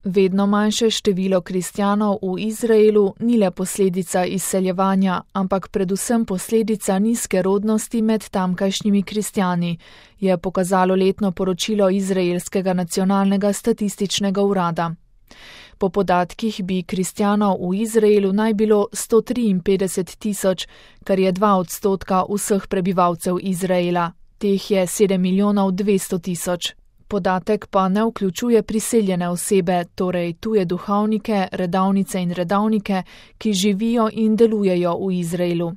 Vedno manjše število kristjanov v Izraelu ni le posledica izseljevanja, ampak predvsem posledica nizke rodnosti med tamkajšnjimi kristjani, je pokazalo letno poročilo Izraelskega nacionalnega statističnega urada. Po podatkih bi kristjanov v Izraelu naj bilo 153 tisoč, kar je 2% vseh prebivalcev Izraela. Teh je 7 milijonov 200 tisoč. Podatek pa ne vključuje priseljene osebe, torej tuje duhovnike, redavnice in redavnike, ki živijo in delujejo v Izraelu.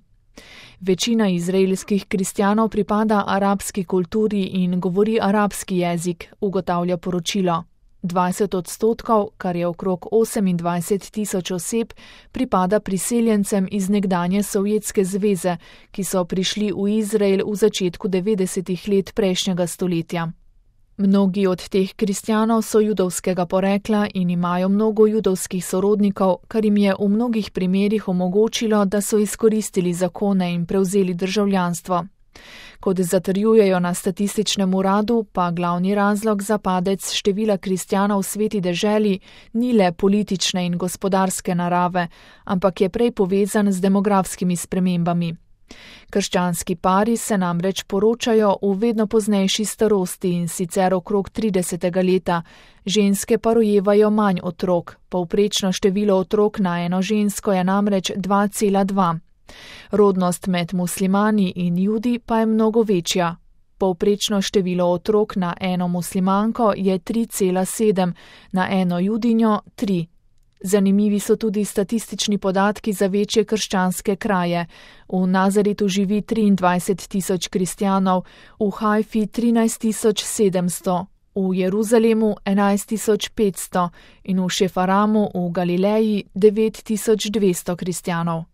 Večina izraelskih kristjanov pripada arabski kulturi in govori arabski jezik, ugotavlja poročilo. 20%, kar je okrog 28 tisoč oseb, pripada priseljencem iz nekdanje Sovjetske zveze, ki so prišli v Izrael v začetku 90. let prejšnjega stoletja. Mnogi od teh kristjanov so judovskega porekla in imajo mnogo judovskih sorodnikov, kar jim je v mnogih primerih omogočilo, da so izkoristili zakone in prevzeli državljanstvo. Kot zatrjujejo na statističnem uradu, pa glavni razlog za padec števila kristjanov v sveti deželi ni le politične in gospodarske narave, ampak je prej povezan z demografskimi spremembami. Krščanski pari se namreč poročajo v vedno poznejši starosti in sicer okrog 30. leta, ženske pa rojevajo manj otrok, povprečno število otrok na eno žensko je namreč 2,2. Rodnost med muslimani in judi pa je mnogo večja. Povprečno število otrok na eno muslimanko je 3,7, na eno judinjo 3. Zanimivi so tudi statistični podatki za večje krščanske kraje. V Nazaritu živi 23 tisoč kristjanov, v Hajfi 13 700, v Jeruzalemu 11 500 in v Šefaramu v Galileji 9 200 kristjanov.